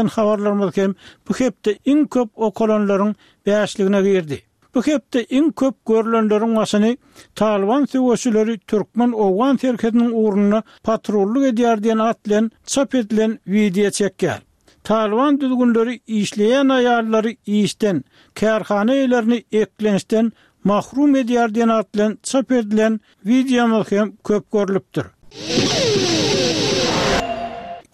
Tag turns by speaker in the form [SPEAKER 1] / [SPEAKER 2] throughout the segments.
[SPEAKER 1] Habarlarymyz hem bu hepde iň köp okalanlaryň bäşligine girdi. Bu hepde iň köp görlenleriň başyny Talyban söweşileri türkmen-owgan serhediniň ugrunda patrullyk edýär diýen at bilen çap edilen wideo çekýär. Talyban düzgünleri işleýän aýallary işden, kärhana eýelerini eklençden mahrum edýär diýen at bilen çap edilen wideomyz hem köp görlüpdir.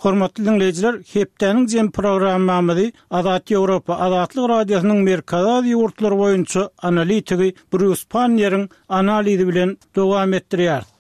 [SPEAKER 1] Hormatly diňleýjiler, hepdäniň jemi programmamyzy Azat Ýewropa, Azatlyk Radiosynyň Merkezi Aziýa ýurtlary boýunça analitigi Brýus Panniýeriň analizi bilen dowam etdirýäris.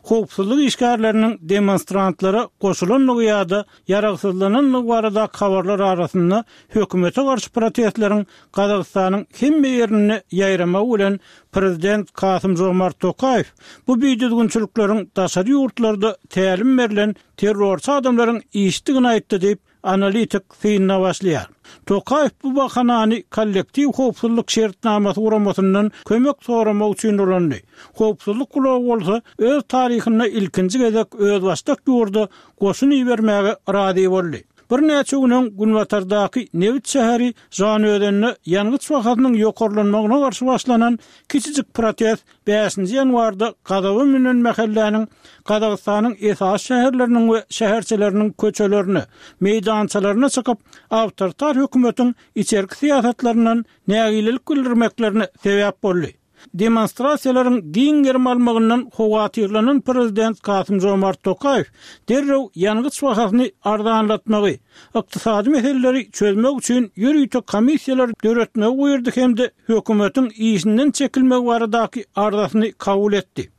[SPEAKER 1] Howpsuzlyk işgärleriniň demonstrantlara goşulandygy ýa-da ýaragsyzlanandygy baradaky habarlar arasynda hökümete garşy protestleriň Gazagystanyň hemme ýerinde ýaýramagy bilen prezident Kasym-Žomart Tokaýew bu bidüzgünçilikleriň daşary ýurtlarda tälim berlen terrorçy adamlaryň işidigini aýtdy diýip, analitik synyna başlaýar. Tokaýew bu bahanany Kollektiw howpsuzlyk şertnamasy guramasyndan kömek soramak üçin ulandy. Howpsuzlyk gulagy bolsa öz taryhynda ilkinji gezek özbaşdak ýurda goşun ibermäge razy boldy. Birnäçe gün öň günbatardaky nebit şäheri Žanaözende ýangyç bahasynyň ýokarlanmagyna garşy başlanan kiçijik protest Bäşinji ýanwarda gazaba münen mähelläniň Gazagystanyň esasy şäherleriniň we şäherçeleriniň köçelerine, meýdançalaryna çykyp, awtoritar hökümetiň içerki syýasatlaryndan nägilelik bildirmeklerine sebäp boldy. Demonstrasiýalaryň giň gerim almagyndan howatyrlanan prezident Kasym-Žomart Tokaýew derrew ýangyç bahasyny arzanlatmagy, ykdysady meseleleri çözmek üçin ýörite komissiýalar döretmegi buýurdy hem-de hökümetiň işinden çekilmegi baradaky arzasyny kabul etdi.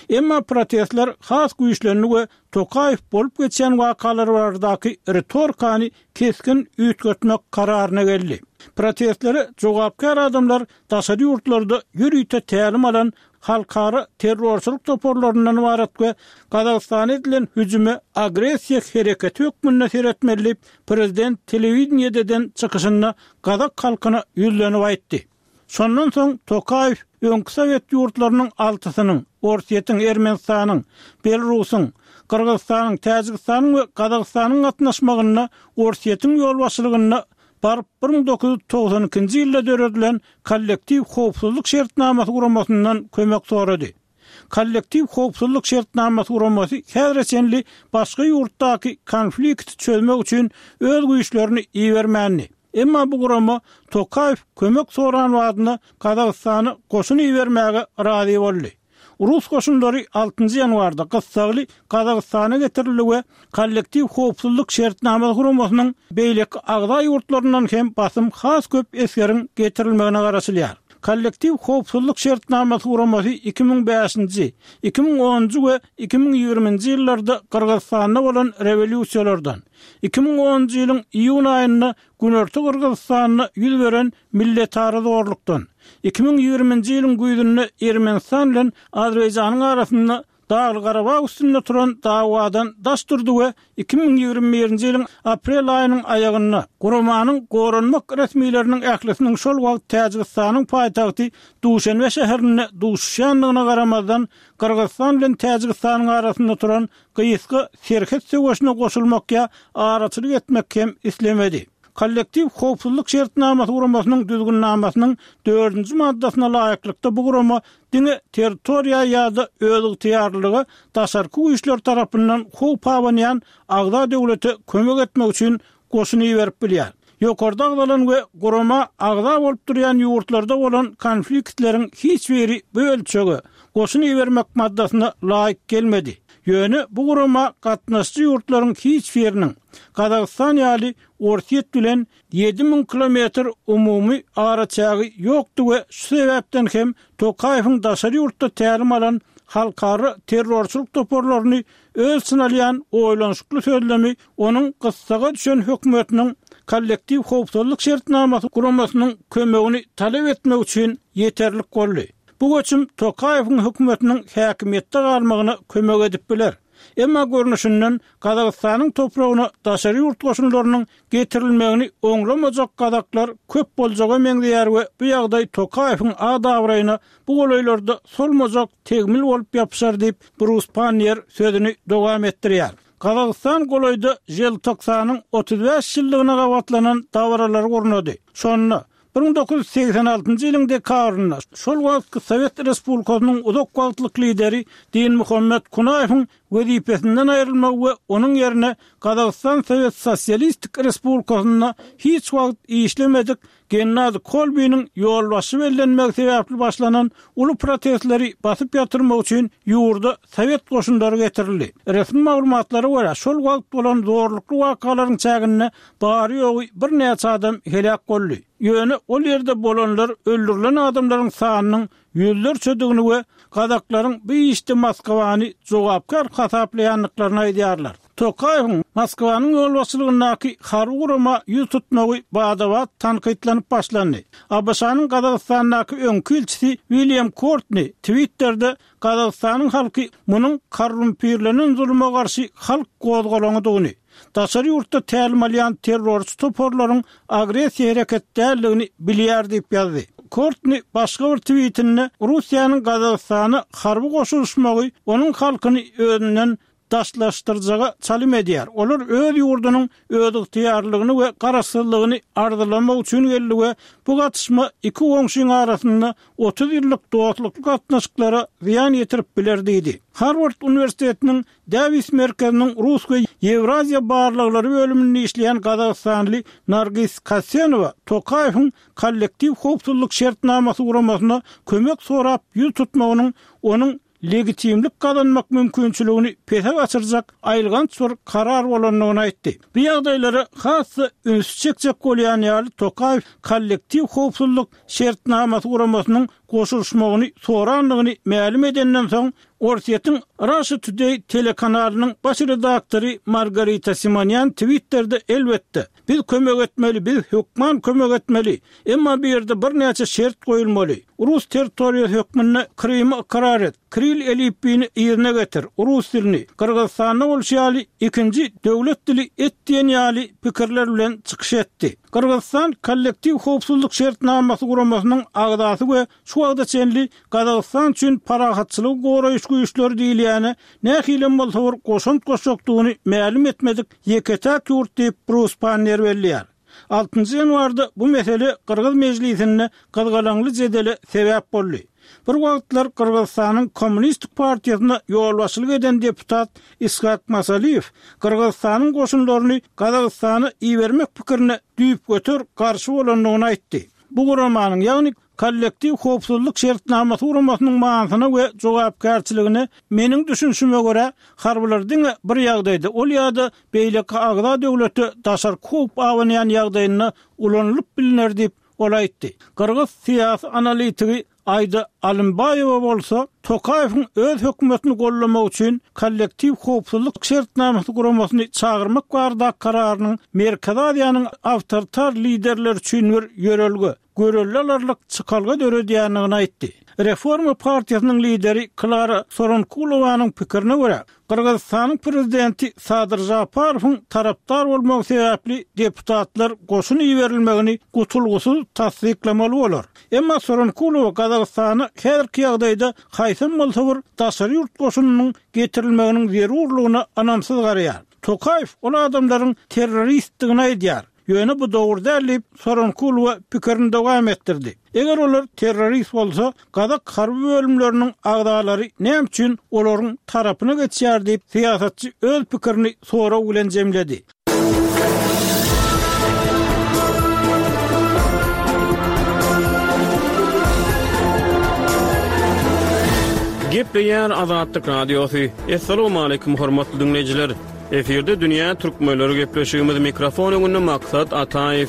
[SPEAKER 1] Emma protestler has güýçlendi we Tokaýew bolup geçýän wakalar baradaky ritorikany kesgin üýtgetmek kararyna geldi. Protestlere jogapkär adamlar daşary ýurtlarda ýörite tälim alan halkara terrorçylyk toparlaryndan ybarat we Gazagystana edilen hüjüme agressiýa hereketi hökmünde seretmeli diýip, prezident telewideniýede eden çykyşynda gazak halkyna ýüzlenip aýtdy. Şondan soň Tokaýew öňki sowet ýurtlarynyň altysynyň, Orsýetiň, Ermenistanyň, Belarusyň, Gyrgyzystanyň, Täjigistanyň we Gazagystanyň gatnaşmagynda Orsýetiň ýolbaşçylygynda baryp 1992-nji ýylda döredilen Kollektiw howpsuzlyk şertnamasy guramasyndan kömek sorady. Kollektiw howpsuzlyk şertnamasy guramasy häzire çenli başga ýurtdaky konflikti çözmek üçin öz güýçlerini ibermändi. Emma bu gurama Tokaýew kömek soran badyna Gazagystana goşun ibermäge razy boldy. Rus goşunlary altynjy ýanwarda gyssagly Gazagystana getirildi we Kollektiw howpsuzlyk şertnamasy guramasynyň beýleki agza ýurtlaryndan hem basym has köp esgeriň getirilmegine garaşylýar. Kollektiw howpsuzlyk şertnamasy guramasy 2005-nji, 2010-njy we 2020-nji ýyllarda Gyrgyzystanda bolan rewolýusiýalardan, 2010-njy ýylyň iýun aýynda Günorta Gyrgyzystanda ýüz beren milletara zorlukdan, 2020-nji ýylyň güýzünde Ermenistan bilen Azerbaýjanyň arasynda Dagly-Garabag üstünde turan dawadan daş durdy we 2021-nji ýylyň aprel aýynyň aýagynda guramanyň goranmak resmileriniň ählisiniň şol wagt Täjigistanyň paýtagty Duşenbe şäherinde duşuşýandygyna garamazdan Gyrgyzystan bilen Täjigistanyň arasynda turan gysga serhet söweşine goşulmak ýa araçylyk etmek hem islemedi. Kollektiw howpsuzlyk şertnamasy guramasynyň düzgünnamasynyň dördünji maddasyna laýyklykda bu gurama diňe territoriýa ýa-da özygtyýarlylyga daşarky güýçler tarapyndan howp abanýan agza döwlete kömek etmek üçin goşun iberip bilýär. Ýokarda agzalan we gurama agza bolup durýan ýurtlarda bolan konfliktleriň hiç biri bu ölçege, goşun ibermek maddasyna laýyk gelmedi. Ýöne bu gurama gatnaşyjy ýurtlaryň hiç biriniň, Gazagystan ýaly Orsýet bilen 7000 kilometr umumy araçägi ýokdy we şu sebäpden hem Tokaýewiň daşary ýurtda tälim alan halkara terrorçylyk toparlaryny öz içine alýan oýlanyşykly sözlemi onuň gyssaga düşen hökümetiniň Kollektiw howpsuzlyk şertnamasy guramasynyň kömegini talap etmek üçin ýeterlik boldy. Bu göçüm Tokaýewiň hökümetiniň häkimiýetde galmagyna kömek edip biler. Emma görnüşinden Gazagystanyň topragyna daşary ýurt goşunlarynyň getirilmegini oňlamajak gazaklar köp boljaga meňzeýär we bu ýagdaý Tokaýewiň at-abraýyna bu golaýlarda solmajak tegmil bolup ýapyşar diýip, Brus Panniýer sözüni dowam etdirýär. Gazagystan golaýda Želtoksanyň 35 ýyllygyna gabatlanan dabaralary gurnady. Şonda, 1986-njy ýylyň dekabrynda şol wagtky Sowet Respublikasynyň uzak wagtlyk lideri Dinmuhammet Kunaýewiň wezipesinden aýrylmagy we onuň ýerine Gazagystan Sowet Sosialistik Respublikasynda hiç wagt işlemedik Gennadi Kolbiniň ýolbaşçy bellenmegi sebäpli başlanan uly protestleri basyp ýatyrmak üçin ýurda sowet goşunlary getirildi. Resmi maglumatlara görä, şol wagt bolan zorlukly wakalaryň çäginde bary-ýogy birnäçe adam heläk boldy. Ýöne ol ýerde bolanlar öldürilen adamlaryň sanynyň ýüzlerçedigini we gazaklaryň bu işde Moskwany jogapkär hasaplaýandyklaryny aýdýarlar. Tokaýewiň Moskwanyň ýolbaşçylygyndaky harby gurama ýüz tutmagy bada-bat tankytlanyp başlandy. ABŞ-nyň Gazagystandaky öňki ilçisi William Kortni Twitterde Gazagystanyň halky munuň korrumpirlenen zuluma garşy halk gozgalaňydygyny, daşary ýurtda tälim alýan terrorçy toparlaryň agressiýa hereket däldigini bilýär diýip ýazdy. Kortni başga bir twitinde Russiýanyň Gazagystana harby goşulyşmagy onuň halkyny özünden daşlaşdyrjaga çalym edýär. Olar öz ýurdunyň özygtyýarlylygyny we garaşsyzlygyny arzylamak üçin geldi we bu gatyşma iki goňşyň arasynda 30 ýyllyk dostlukly gatnaşyklara zyýan ýetirip biler diýdi. Harward uniwersitetiniň Dawis merkeziniň rus we ýewraziýa barlaglary bölüminde işleýän gazagystanly Nargis Kasenowa Tokaýewiň Kollektiw howpsuzlyk şertnamasy guramasyna kömek sorap ýüz tutmagynyň onuň legitimlik gazanmak mümkinçiligini pese gaçyrjak aýylganç bir karar bolandygyny aýtdy. Bu ýagdaýlara has-da ünsi çekjek bolýan ýaly Tokaýew Kollektiw howpsuzlyk şertnamasy guramasynyň goşulyşmagyny sorandygyny mälim edenden soň, Orsýetiň Russia Today telekanalynyň baş redaktory Margarita Simonýan Twitterde Elbetde, biz kömek etmeli, biz hökman kömek etmeli, emma bu ýerde birnäçe şert goýulmaly. Rus territoriýasy hökmünde Krymy ykrar et, Kiril elipbiýini yzyna getir, rus dilini, Gyrgyzystanda bolşy ýaly, ikinji döwlet dili et diýen ýaly pikirler bilen çykyş etdi. Gyrgyzystan Kollektiw howpsuzlyk şertnamasy guramasynyň agzasy we şu wagta çenli Gazagystan üçin parahatçylygy goraýyş güýçleri diýilýäne nähilem bolsa bir goşant goşjakdygyny mälim etmedik ýeke-täk ýurt diýip, Brus Panniýer belleýär. Altynjy ýanwarda bu mesele gyrgyz mejlisinde gyzgalaňly jedele sebäp boldy. Bir wagtlar Gyrgyzystanyň Kommunistik partiýasyna ýolbaşçylyk eden deputat Ishak Masaliýew Gyrgyzystanyň goşunlaryny Gazagystana ibermek pikirine düýpgöter garşy bolandygyny aýtdy. Bu guramanyň, ýagny Kollektiw howpsuzlyk şertnamasy guramasynyň manysyna we jogapkärçiligine meniň düşünişime görä, harbylar diňe bir ýagdaýda, ol ýa-da beýleki agza döwlete daşarky howp abanýan ýagdaýynda ulanylyp bilner diýip, ol aýtdy. Gyrgyz syýasy analitigi Aida Alymbaýewa bolsa, Tokaýewiň öz hökümetini goldamak üçin Kollektiw howpsuzlyk şertnamasy guramasyny çagyrmak baradaky kararynyň Merkezi Aziýanyň awtoritar liderleri üçin bir ýörelge, görelde alarlyk çykalga döredýändigini aýtdy. Reforma partiýasynyň lideri Klara Soronkulowanyň pikirine görä, Gyrgyzystanyň prezidenti Sadyr Žaparowyň tarapdar bolmagy sebäpli deputatlar goşun iberilmegini gutulgysyz tassyklamaly bolar. Emma Soronkulowa Gazagystana häzirki ýagdaýda haýsam bolsa bir daşary ýurt goşunynyň getirilmeginiň zerurlygyna ynamsyz garaýar. Tokaýew ol adamlaryň terroristdigini aýdýar. Ýöne bu dogry däl diýip, Soronkulowa pikirini dowam etdirdi. Eger olar terrorist bolsa, gazak harby bölümleriniň agzalary näme üçin olaryň tarapyna geçýär diýip, syýasatçy öz pikirini sorag bilen jemledi.
[SPEAKER 2] Gepleýär Azatlyk Radiosy. Assalamualaikum hormatly diňleýjiler. Efirde dünýä türkmenleri gepleşigimiz mikrofon öňünde Maksat Ataýew.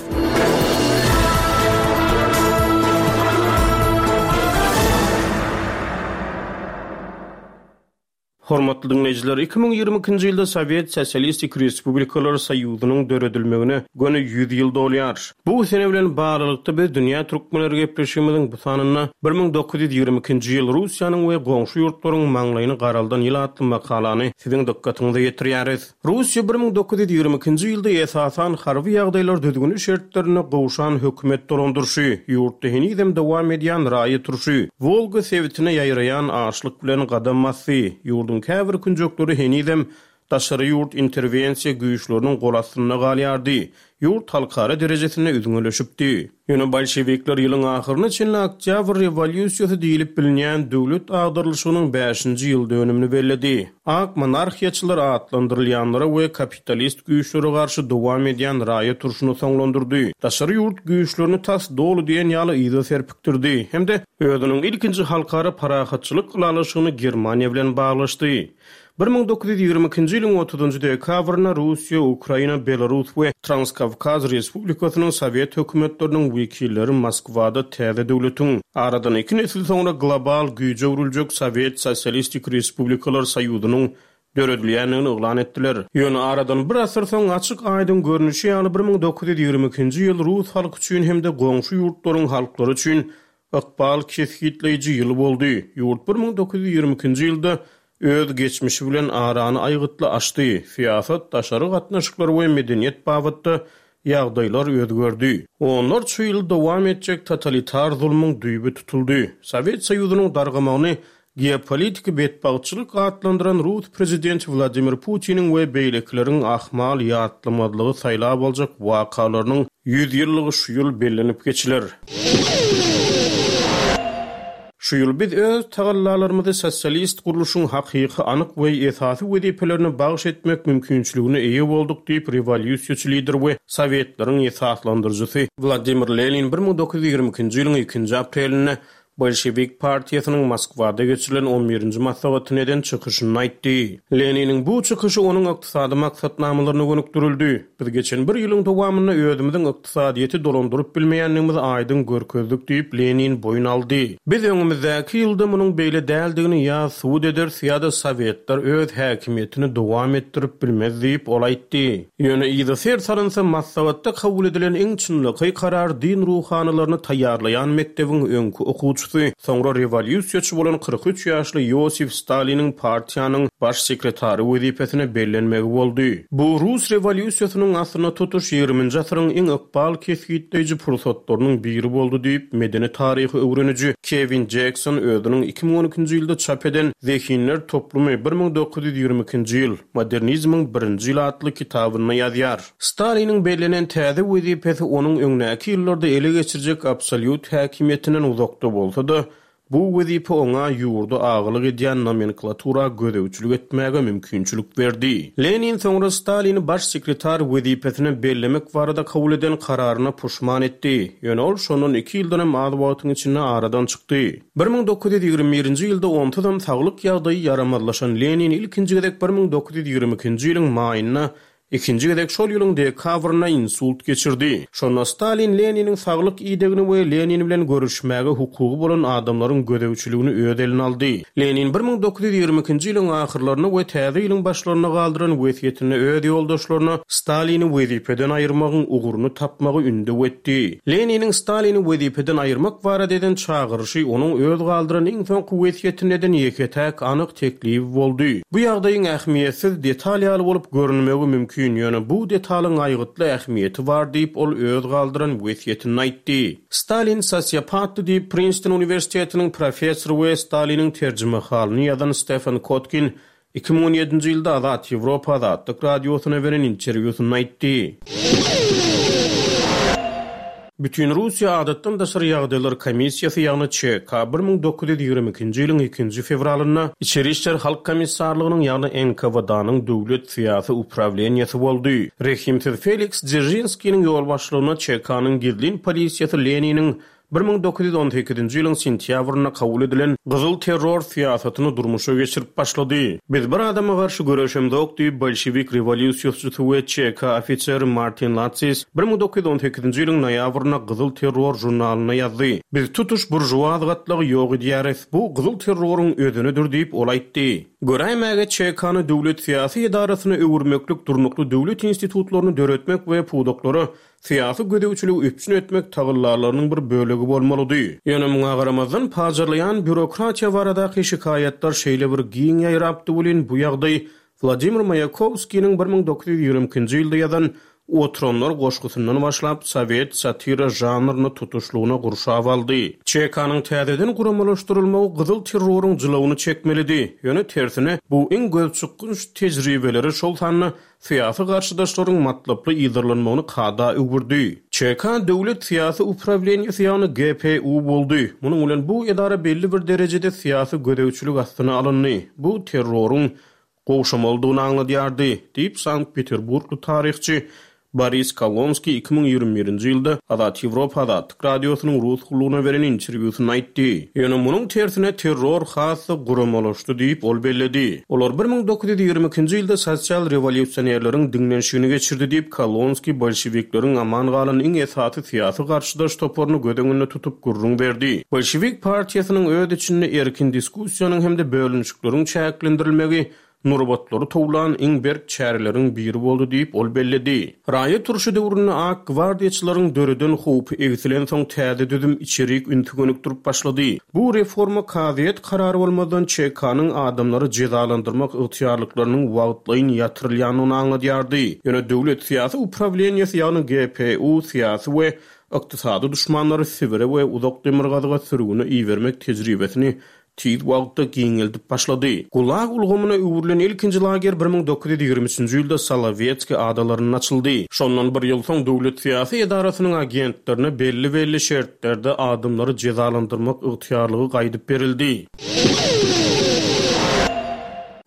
[SPEAKER 2] Hormatly diňleýjiler, 2022-nji ýylda Sowet Sosialistik Respublikalar Soýuzynyň döredilmegine göni 100 ýyl dolýar. Bu sene bilen baglylykda biz Dünýä türkmenleri gepleşigimiziň bu sanynda 1922-nji ýyl Russiýanyň we goňşy ýurtlaryň maňlaýyny garaldan ýyl atly makalany Siziň dykgatyňyza ýetirýäris. Russiýa 1922-nji ýylda esasan harby ýagdaýlar düzgüni şertlerinde gowşan hökümet dolandyryşy, ýurtda henizem dowam edýän raýat urşy, Wolga sebitine ýaýraýan açlyk bilen gadam basdy. Ýurduň käbir künjekleri henizem. daşary ýurt interwensiýa güýçleriniň gol astynda galýardy. Ýurt halkara derejesinde üzňeleşipdi. Ýöne bolşewikler ýylyň ahyryna çenli Oktýabr rewolýusiýasy diýlip bilinýän döwlet agdarylyşygynyň bäşinji ýyl dönümini belledi. Ak monarhiýaçylar atlandyrylýanlara we kapitalist güýçlere garşy dowam edýän raýat urşuny soňlandyrdy, daşary ýurt güýçlerini tas doly diýen ýaly yza serpikdirdi hem-de özüniň ilkinji halkara parahatçylyk ylalaşygyny Germaniýa bilen baglaşdy. 1922-nji ýylyň otuzynjy dekabrynda Russiýa, Ukraina, Belarus we Transkawkaz Respublikasynyň sowet hökümetleriniň wekilleri Moskwada täze döwletiň, aradan iki nesil soňra global güýje öwrüljek Sowet Sosialistik Respublikalar Soýuzynyň döredilýändigini yglan etdiler. Ýöne aradan bir asyr soň açyk-aýdyň görnüşi ýaly 1922-nji ýyl rus halky üçin hem-de goňşy ýurtlaryň halklary üçin Ykbal kesgitleýji ýyl boldy. Ýurt 1922-nji ýylda öz geçmişi bilen arany aýgytly açdy. Syýasat, daşary gatnaşyklar we medeniýet babatda ýagdaýlar özgerdi. Onlarça ýyl dowam etjek totalitar zulmuň düýbi tutuldy. Sowet Soýuzynyň dargamagyny Geopolitiki betbagtçylyk atlandyran rus prezidenti Wladimir Putiniň we beýlekileriň ahmal ýatlamazlygy saýlap aljak wakalarynyň ýüzýyllygy şu ýyl bellenip geçiler. Şu ýyl biz öz tagallalarymyzy sosialist gurluşyň hakyky, anyk we esasy wezipelerine bagyş etmek mümkinçiligine eýe bolduk diýip, rewolýusiýaçy lider we Sowetleriň esaslandyryjysy Wladimir Lenin 1922-nji ýylyň ikinji aprelinde Bolşewik partiýasynyň Moskwada geçirilen on birinji maslahatynda eden çykyşynda aýtdy. Leniniň bu çykyşy onuň ykdysady maksatnamalaryna gönükdirildi. Biz geçen bir ýylyň dowamynda özümiziň ykdysadyýeti dolandyryp bilmeýändigimizi aýdyň görkezdik diýip, Lenin boýun aldy. Biz öňümizdäki ýylda munuň beýle däldigini ýa subut ederis ýa-da Sowetler öz häkimiýetini dowam etdirip bilmez diýip, ol aýtdy. Ýöne yza ser salynsa, maslahatda kabul edilen iň çynlakaý karar din ruhanylaryny taýýarlaýan mekdebiň öňki okuwçysy, soňra rewolýusiýaçy bolan 43 ýaşly Iosif Staliniň partiýanyň Baş sekretary wezipesine bellenmegi boldy. Bu rus rewolýusiýasynyň aslynda tutuş ýigriminji asyryň iň ykbal kesgitleýji pursatlarynyň biri boldy diýip, medeni taryhy öwreniji Kewin Jekson özüniň 2012-nji ýylda çap eden Zehinler toplumy, 1922-nji ýyl. Modernizmiň birinji ýyly atly kitabynda ýazýar. Staliniň bellenen täze wezipesi onuň öňdäki ýyllarda ele geçirjek absolýut häkimiýetinden uzakda bolsa-da, bu wezipe oňa ýurda agalyk edýän nomenklatura gözegçilik etmäge mümkinçilik berdi. Lenin soňra Stalini baş sekretar wezipesine bellemek barada kabul eden kararyna puşman etdi. Ýöne ol şondan iki ýyldanam az wagtyň içinde aradan çykdy. 1921-nji ýylda onsuzam saglyk ýagdaýy ýaramazlaşan Lenin ilkinji gezek 1922-nji ýylyň maýynda, ikinji gezek şol ýylyň dekabrynda insult geçirdi. Şonda Stalin Leniniň saglyk idegini we Lenin bilen görüşmäge hukugy bolan adamlaryň gözegçiligini öz eline aldy. Lenin 1922-nji ýylyň ahyrlarynda we täze ýylyň başlarynda galdyran wesýetinde öz ýoldaşlaryna Stalini wezipeden aýyrmagyň ugruny tapmagy ündew etdi. Leniniň Stalini wezipeden aýyrmak barada eden çagyryşy onuň öz galdyran iň soňky wesýetinde eden ýeke-täk anyk teklibi boldy. Bu ýagdaýyň ähmiýetsiz detal ýaly bolup görünmegi mümkin, ýöne bu detalyň aýgytly ähmiýeti bar diýip, ol öz galdyran wesýetinde aýtdy. Stalin sosiopatdy diýip, Prinston uniwersitetiniň professory we Staliniň terjimehalyny ýazan Stefan Kotkin 2017-nji ýylda Azat Ýewropa Azatlyk Radiosyna beren interwýusynda aýtdy. Bütinrussiýa Adatdan daşary ýagdaýlar komissiýasy, ýagny ÇK 1922-nji ýylyň ikinji fewralynda Içeri işler halk komissarlygynyň, ýagny NKWD-nyň döwlet syýasy uprawleniýesi boldy. Rehimsiz Feliks Dzeržinskiniň ýolbaşçylygynda ÇK-nyň gizlin polisiýasy Leniniň 1918-nji ýylyň sentýabrynda kabul edilen Gyzyl terror syýasatyny durmuşa geçirip başlady. Biz bir adama garşy göreşemzok diýip, bolşewik rewolýusiýaçysy we ÇK ofiseri Martin Latsis 1918-nji ýylyň noýabrynda Gyzyl terror žurnalynda ýazdy. Biz tutuş buržuaz gatlagy ýok edýäris. Bu gyzyl terroryň özenidir diýip, ol aýtdy. Göräýmäge ÇK-ny döwlet syýasy edarasyna öwürmeklik durnukly döwlet institutlaryny döretmek we pudaklara syýasy gözegçiligi üpjün etmek tagallalarynyň bir bölegi bolmalydy. Ýöne muňa garamazdan, pajarlaýan býurokratiýa baradaky şikaýatlar şeýle bir giň ýaýrapdy welin, bu ýagdaý Wladimir Maýakowskiniň 1922-nji ýylda ýazan. Oturanlar goşgusyndan başlap, sowet satira žanryny tutuşlygyna gurşap aldy. ÇK-nyň täzeden guramalaşdyrylmagy gyzyl terroryň jylawyny çekmelidi. Ýöne tersine, bu iň gözçykgynç tejribeleri, şol sanda syýasy garşydaşlaryň matlaply yzarlanmagyny kada öwürdi. ÇK döwlet syýasy uprawleniýesi, ýagny GPU boldy. Munuň bilen bu edara belli bir derejede syýasy gözegçilik astyna alyndy. Bu terroryň gowşamalydygyny aňladýardy, diýip, sankt-peterburgly taryhçy Boris Kolonskiý 2021-nji ýylda Azat Ýewropa Azatlyk Radiosynyň Rus gullugyna beren interwýusynda aýtdy. Ýöne munuň tersine terror has-da guramalaşdy diýip, ol belledi. Olar 1922-nji ýylda sosial rewolýusionerleriň diňlenişigini geçirdi diýip, Kolonskiý bolşewikleriň aman galan iň esasy syýasy garşydaş toparyny göz öňünde tutup gürrüň berdi. Bolşewik partiýasynyň öz içinde erkin diskussiýanyň hem-de bölünişikleriň çäklendirilmegi nurbatlary towlan iň berk çäreleriň biri boldy diýip, ol belledi. Raýat urşy döwründe ak gwardiýaçylaryň döreden howpy egsilensoň täze düzüm içerik ünsi gönükdirip başlady. Bu reforma kazyýet karary bolmazdan ÇK-nyň adamlary jezalandyrmak ygtyýarlyklarynyň wagtlaýyn ýatyrylýandygyny aňladýardy. Ýöne döwlet syýasy uprawleniýesi ýagny GPU syýasy we ykdysady duşmanlary Sibire we uzak demirgazyga sürgüne ibermek tejribesini tiz wagtda giňeldip başlady. Gulag ulgamyna öwrülen ilkinji lager 1923-nji ýylda Solowetskiý adalarynda açyldy. Şondan bir ýyl soň döwlet syýasy edarasynyň agentlerine belli-belli şertlerde adamlary jezalandyrmak ygtyýarlygy gaýdyp berildi.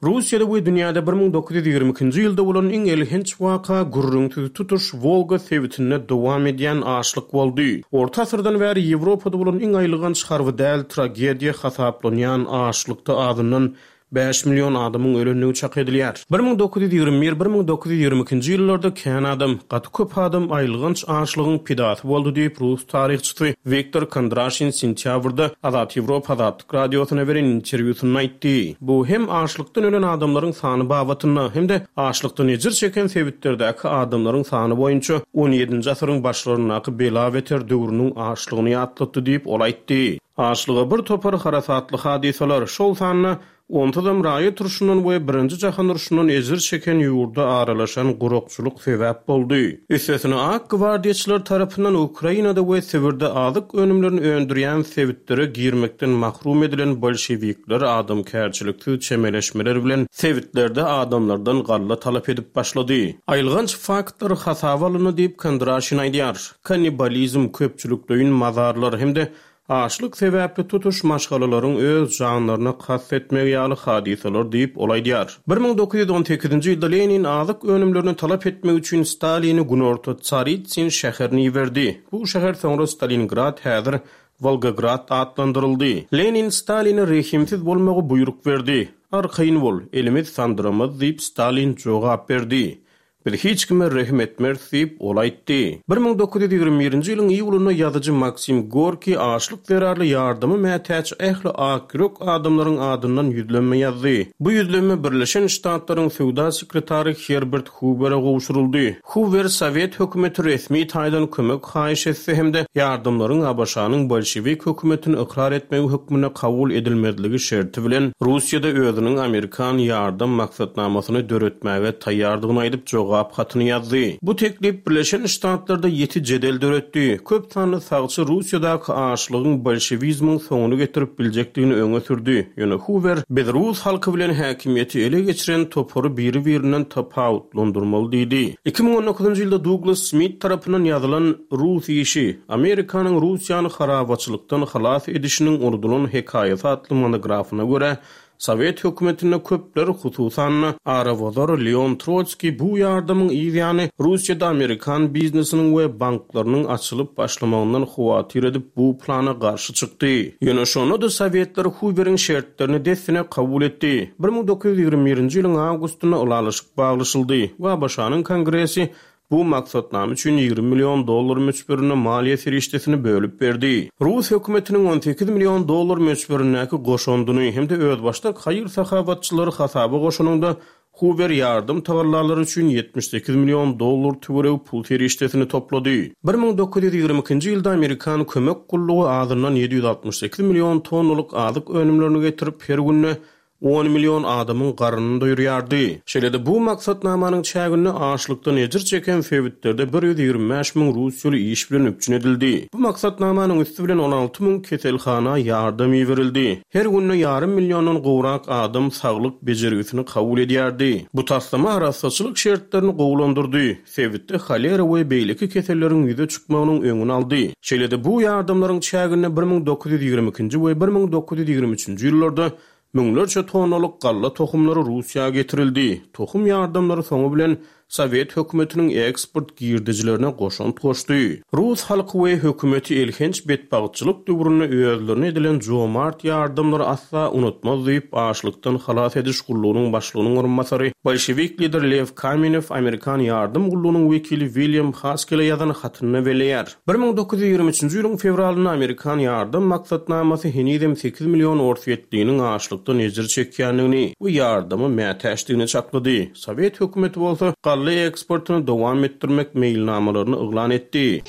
[SPEAKER 2] Russiýada we dünýäde 1922-nji ýylda bolan iň elhenç waka gürrüňsiz tutuş Wolga sebitinde dowam edýän açlyk boldy. Orta asyrdan bäri Ýewropada bolan iň aýylganç harby däl tragediýa hasaplanýan açlykda azyndan 5 million adamyň ölendigi çak edilýär. 1921, 1922-nji ýyllarda kän adam, gaty köp adam aýylganç açlygyň pidasy boldy diýip, rus taryhçysy Wiktor Kondraşin sentýabrda Azat Ýewropa Azatlyk Radiosyna beren interwýusynda aýtdy. Bu hem açlykdan ölen adamlaryň sany babatynda, hem-de açlykdan ejir çeken sebitlerdäki adamlaryň sany boýunça on ýedinji asyryň başlaryndaky bela-beter döwrüniň açlygyny ýatlatdy diýip, ol aýtdy. Açlyga bir topar harasatly hadysalar, şol sanda Onsuzam raýat urşundan we Birinji jahan urşundan ejir çeken ýurda aralaşan gurakçylyk sebäp boldy. Üstesine ak gwardiýaçylar tarapyndan Ukrainada we Sibirde azyk önümlerini öndürýän sebitlere girmekden mahrum edilen bolşewikler adamkärçiliksiz çemeleşmeler bilen sebitlerde adamlardan galla talap edip başlady. Aýylganç faktlar hasaba alyndy diýip, Kondraşin aýdýar. Kannibalizm, köpçülikleýin mazarlar hem-de Açlyk sebäpli tutuş maşgalalaryň öz janlaryna kast etmegi ýaly hadysalar diýip, ol aýdýar. 1918-nji ýylda Lenin azyk önümlerini talap etmek üçin Stalini günorta Tsaritsyn şäherine iberdi. Bu şäher soňra Stalingrad, häzir Wolgograd atlandyryldy. Lenin Staline rehimsiz bolmagy buýruk berdi. Arkaýyn bol, elimiz sandyramaz diýip, Stalin jogap berdi. Biz hiç kime rehim etmeris diýip, ol aýtdy. 1921-nji ýylyň iýulynda ýazyjy Maksim Gorkiý açlyk zerarly ýardama mätäç ähli akýürek adamlaryň adyndan ýüzlenme ýazdy. Bu ýüzlenme Birleşen Ştatlaryň söwda sekretary Herbert Huwere gowşuryldy. Huwer sowet hökümeti resmi taýdan kömek haýyş etse hem-de ýardamlaryň ABŞ-nyň bolşewik hökümetini ykrar etmegi hökmünde kabul edilmezligi şerti bilen Russiýada özüniň amerikan ýardam maksatnamasyny döretmäge taýýardygyny aýdyp jogap hatyny ýazdy. Bu teklip Birleşen Ştatlarda ýiti jedel döretdi. Köp sanly sagçy Russiýadaky açlygyň bolşewizmiň soňuny getirip biljekdigini öňe sürdi. Ýöne Huwer, Biz rus halky bilen häkimiýeti ele geçiren topary biri-birinden tapawutlandyrmaly diýdi. 2019-njy ýylda Duglas Smit tarapyndan ýazylan Rus işi, Amerikanyň Russiýany harabaçylykdan halas edişiniň unudylan hekaýasy atly monografyna görä, Sowet hökümetinde köpler, hususan-da, arabozar Leon Trotskiý bu ýardamyň yz ýany Russiýada amerikan biznesiniň we banklarynyň açylyp başlamagyndan howatyr edip bu plana garşy çykdy. Ýöne şonda-da sowetler Huweriň şertlerini dessine kabul etdi. 1921-nji ýylyň awgustynda ylalaşyk baglaşyldy we ABŞ-nyň Kongresi Bu maksatnama üçin 20 million dollar möçberinde maliýe serişdesini bölüp berdi. Rus hökümetiniň 18 million dollar möçberindäki goşandyny hem-de özbaşdak haýyr-sahawatçylary hasaba goşanyňda, Huwer ýardam tagallalary üçin 78 million dollar töweregi pul serişdesini toplady. 1922-nji ýylda amerikan kömek gullugy azyndan 768 million tonnalyk azyk önümlerini getirip, her günde. On million adamyň garnyny doýurýardy. Şeýle-de bu maksatnamanyň çäginde açlykdan ejir çeken sebitlerde 125 müň russiýaly iş bilen üpjün edildi. Bu maksatnamanyň üsti bilen 16 müň keselhana ýardam iberildi. Her günde ýarym milliondan gowrak adam saglyk bejergisini kabul edýärdi. Bu taslama arassaçylyk şertlerini gowulandyrdy, sebitde holera we beýleki keselleriň ýüze çykmagynyň öňüni aldy. Şeýle-de bu ýardamlaryň çäginde 1922-nji we 1923-nji ýyllarda Müňlerçe tonnalyk galla tohumlary Russiýa getirildi. Tohum ýardamlary soňy bilen sowet hökümetiniň eksport girdejilerine goşant goşdy. Rus halky we hökümeti elhenç betbagtçylyk döwründe özlerine edilen jomart ýardamlary asla unutmaz diýip, açlykdan halas ediş gullugynyň başlygynyň orunbasary, bolşewik lider Lew Kamenew amerikan ýardam gullugynyň wekili Wilýam Haskele ýazan hatynda belleýär. 1923-nji ýylyň fewralynda amerikan ýardam maksatnamasy henizem sekiz million orsýetliniň açlykdan ejir çekýändigini we ýardama mätäçdigini çaklady. Sowet hökümeti bolsa galla eksportyny dowam etdirmek meýilnamalaryny yglan etdi.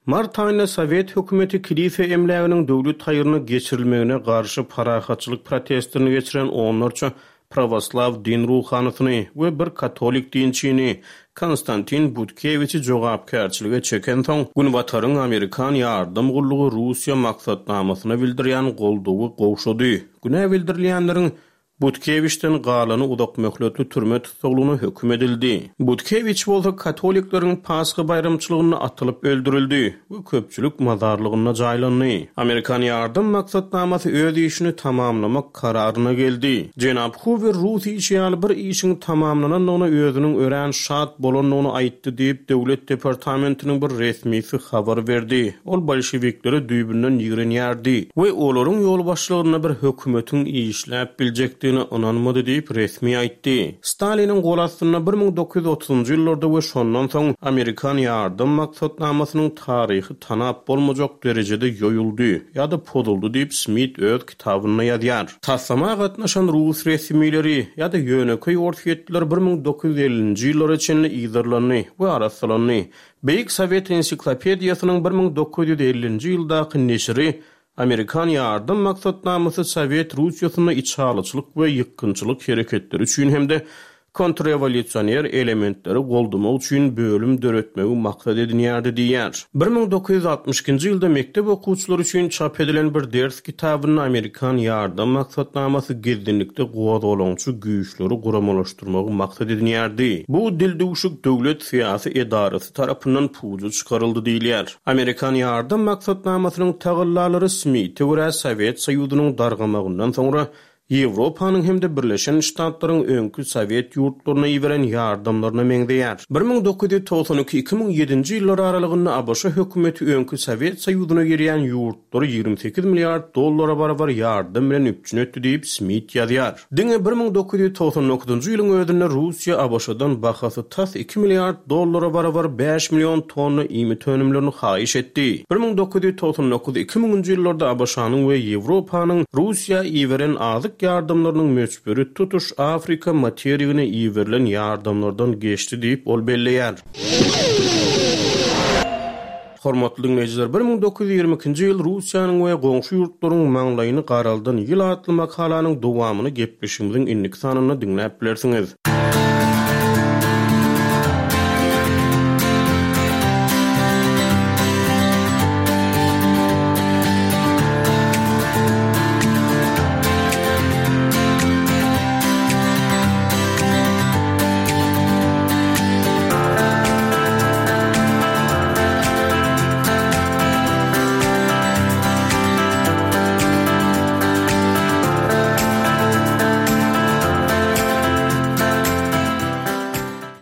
[SPEAKER 2] Mart aýynda sowet hökümeti kilise emläginiň döwlet haýryna geçirilmegine garşy parahatçylyk protestlerini geçiren onlarça prawoslaw din ruhanysyny we bir katolik dinçini, Konstantin Butkewiçi jogapkärçilige çekensoň, Günbataryň amerikan ýardam gullugy Russiýa maksatnamasyna bildirýän goldawy gowşady. Günä bildirilýänleriň Butkewiçden galany uzakmöhletli türme tussaglygyna höküm edildi. Butkewiç bolsa katolikleriň Pasha baýramçylygynda atylyp öldürildi. we köpçülik mazarlygynda jaýlandy. Amerikan ýardam maksatnamasy öz işini tamamlamak kararyna geldi. Jenap Huwer rus işi ýaly bir işiň tamamlanandygyna özüniň örän şat bolandygyny aýtdy diýip, Döwlet departamentiniň bir resmisi habar berdi. Ol bolşewikleri düýbünden ýigrenýärdi we olaryň ýolbaşçylygynda bir hökümetiň işläp biljekdigine ynanmady diýip, resmi aýtdy. Staliniň gol astynda 1930-njy ýyllarda we şondan soň amerikan ýardam maksatnamasynyň taryhy tanap bolmajak derejede ýoýuldy ýa-da pozuldy diýip Smit öz kitabynda ýazýar. Taslama gatnaşan rus resmileri ýa-da ýönekeý orsýetliler 1950-nji ýyllara çenli yzarlandy we arassalandy. Beýik Sowet ensiklopediýasynyň 1950-nji ýyldaky neşiri Amerikan ýardam maksatnamasy Sowet Russiýasynda içalyçylyk we ýykgynçylyk hereketleri üçin hem-de kontrrewolýusioner elementleri goldamak üçin bölüm döretmegi maksat edinýärdi diýýär. 1962-nji ýylda mekdep okuwçylary üçin çap edilen bir ders kitabynda amerikan ýardam maksatnamasy gizlinlikde gozgalaňçy güýçleri guramalaşdyrmagy maksat edinýärdi. Bu dildüwşük döwlet syýasy edarasy tarapyndan puja çykaryldy diýilýär. Amerikan ýardam maksatnamasynyň tagallalary Smite görä Sowet Soýuzynyň dargamagyndan soňra Ýewropanyň hem-de Birleşen Ştatlaryň öňki sowet ýurtlaryna iberen ýardamlaryna meňzeýär. 1992, 2007-nji ýyllar aralygynda ABŞ hökümeti öňki Sowet Soýuzyna girýän ýurtlary 28 milliard dollara barabar ýardam bilen üpjün etdi diýip, Smit ýazýar. Diňe 1999-njy ýylyň özünde Russiýa ABŞ-dan bahasy tas iki milliard dollara barabar bäş million tonna iýmit önümlerini haýyş etdi. 1999, 2000-nji ýyllarda ABŞ-nyň we Ýewropanyň Russiýa iberen azyk ýardamlarynyň möçberi tutuş Afrika materigine iberilen ýardamlardan geçdi diýip, ol belleýär. Hormatly diňleýjiler, 1922-nji ýyl Russiýanyň we goňşy ýurtlaryň maňlaýyny garaldan ýyl atly makalanyň dowamyny gepleşigimiziň indiki sanynda diňläp bilersiňiz.